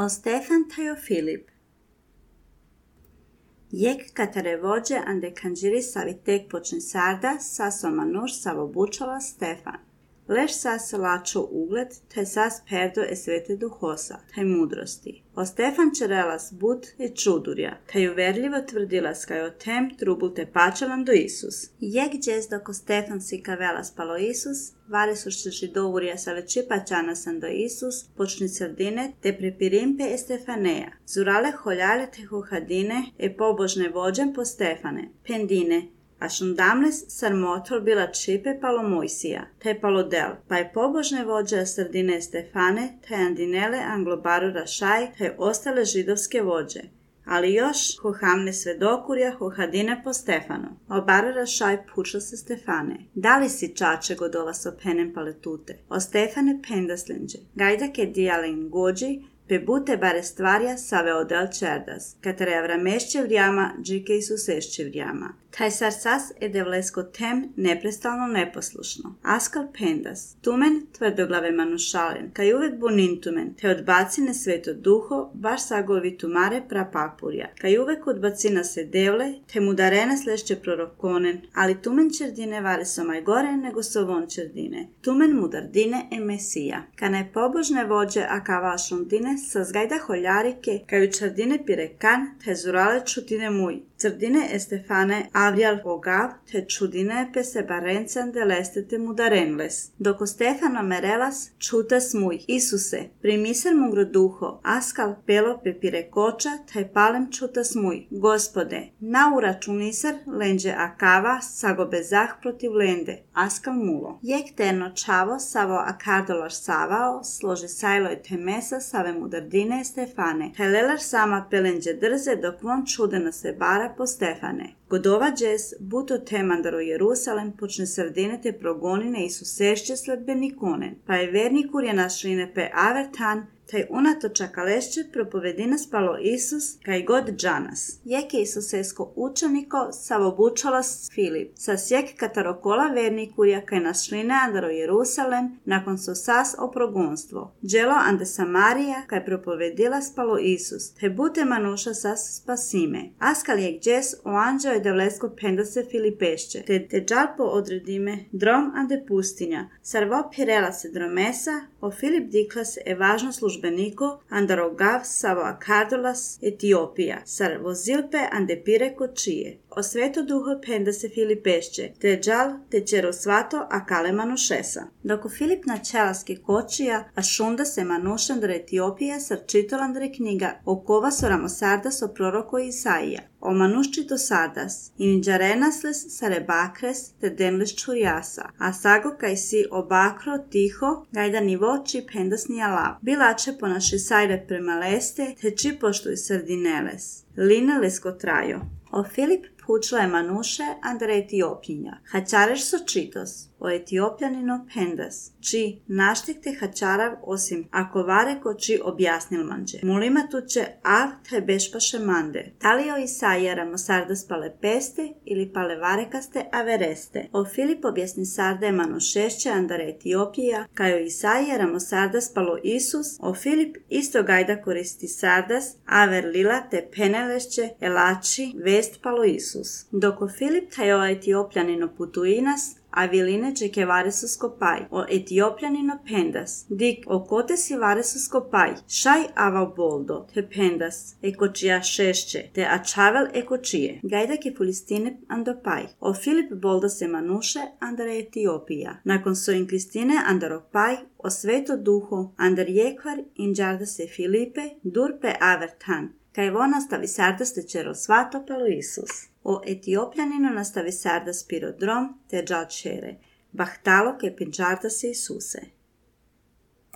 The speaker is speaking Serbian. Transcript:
O Stefan Tajo Filip. Jek katare vođe ande kanjiri savitek počin sarda, saso manuš savobučala Stefan. Leš sas lačo ugled, te sas perdo e svete duhosa, taj mudrosti. O Stefan čerelas bud e čudurja, taj uverljivo tvrdilas kaj o tem trubul te pačelan do Isus. Jek džez doko Stefan si kavelas palo Isus, vare su što židovurja sa veći pačanasan do Isus, počni srdine, te prepirimpe e Stefaneja. Zurale holjale te hohadine e pobožne vođem po Stefane, pendine, a šundamles sarmotol bila čipe palo Mojsija, te palo del, pa je pobožne vođe srdine Stefane, te andinele anglobaru rašaj, te ostale židovske vođe. Ali još hohamne svedokurja hohadine po Stefanu. Obar rašaj puča se Stefane. Da li si čače godova so penem paletute? O Stefane pendaslenđe. Gajda ke dijalen gođi, pe bute bare stvarja save odel čerdas, katare avramešće vrijama, džike i susešće vrijama. Taj sar sas e devlesko tem neprestalno neposlušno. Askal pendas, tumen tvrdoglave manušalen, kaj uvek bunin tumen, te odbacine sveto duho, baš sagovi tumare prapapurja, kaj uvek odbacina se devle, te mudarene slešće prorokonen, ali tumen čerdine vare so maj gore nego so von čerdine. Tumen mudardine e mesija. Ka ne pobožne vođe a kava šundine, sa zgajda holjarike, kaj u čerdine pirekan, te zurale čutine muj. Crdine e Stefane avrijal ogav, te čudine pe se barencan de lestete mudarenles. Doko Stefano merelas, čutas muj, Isuse, primiser mugro duho, askal pelo pe pirekoča, taj palem čutas muj, Gospode, na uračunisar lenđe akava, sago bezah protiv lende, askal mulo. Jek terno čavo, savo akardolar savao, složi sajlo i temesa, save mudardine e Stefane, taj lelar sama pelenđe drze, dok von čudena se bara po Stefane. Godova džes, buto temandaro Jerusalem, počne srdine te progonine i susešće sledbenikonen, pa je vernikur je našline pe avertan, taj unatoča kalešće propovedina spalo Isus, kaj god džanas. Jek je Isusesko učeniko savobučalas Filip, sa sjek katarokola vernikurja kaj našline andaro Jerusalem, nakon so sas o progonstvo. Dželo ande Samarija, kaj propovedila spalo Isus, te bute manuša sas spasime. Askal jek džes o anđeo je devlesko pendase Filipešće, te džal po odredime drom ande pustinja. Sarvo pirela se dromesa, o Filip diklas e važno službeniko andarogav savo akardolas Etiopija, sar vozilpe ande pire kočije. O sveto duho penda se Filipešće, te džal te čero svato a kale manušesa. Doko Filip na čelaske kočija, a šunda se manušandre Etiopije sar čitolandre knjiga o kova so ramosardas o proroko Isaija. O manuščito sardas, in džarenasles sare bakres te denles čurjasa, a sago kaj si obakro tiho, gajda ni voči pendas ni alav. Bilače po naši sajre prema leste, te či poštuj srdineles. Line lesko trajo. O Filip pučla je manuše andre Etiopinja. Hačareš so čitos. O Etiopljanino pendas, či naštek te hačarav osim ako vare ko či objasnil manđe. Mulima tuče av te bešpaše mande. Tali o Isaija ramosardas pale peste ili pale varekaste avereste. O Filip objasni sarde manušešće andare Etiopija, kaj o Isaija ramosardas palo Isus, o Filip isto gajda koristi sardas, aver lila te penelešće elači vest palo Isus. Doko Filip taj o Etiopljanino putuinas, a viline čeke vare su skopaj. O Etiopljanino pendas. Dik o kote si vare su skopaj. Šaj avao boldo. Te pendas. Ekočija šešće. Te ačavel ekočije. Gajdak je Filistine andopaj. O Filip boldo se manuše andare Etiopija. Nakon so in Kristine andaropaj. O sveto duho andar jekvar inđarda se Filipe durpe avertan. Kaj vo nastavi sardas te čero svato palo Isus. O Etiopljanino nastavi sardas pirodrom te džal čere. Bahtalo ke pinčarda se Isuse.